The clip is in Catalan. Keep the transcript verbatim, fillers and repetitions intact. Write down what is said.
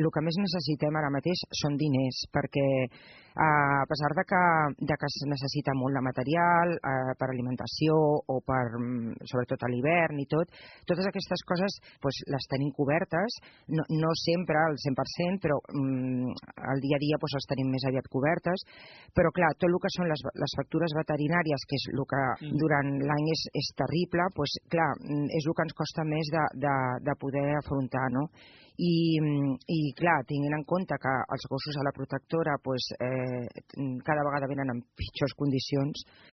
el que més necessitem ara mateix són diners, perquè a pesar de que, de que es necessita molt de material eh, per alimentació o per, sobretot a l'hivern i tot, totes aquestes coses pues, les tenim cobertes, no, no sempre al cent per cent, però mm, al dia a dia pues, les tenim més aviat cobertes, però clar, tot el que són les, les factures veterinàries, que és el que mm. durant l'any és, és terrible, pues, clar, és el que ens costa més de, de, de poder afrontar, no? I, i clar, tinguent en compte que els gossos a la protectora pues, eh, cada vegada venen en pitjors condicions,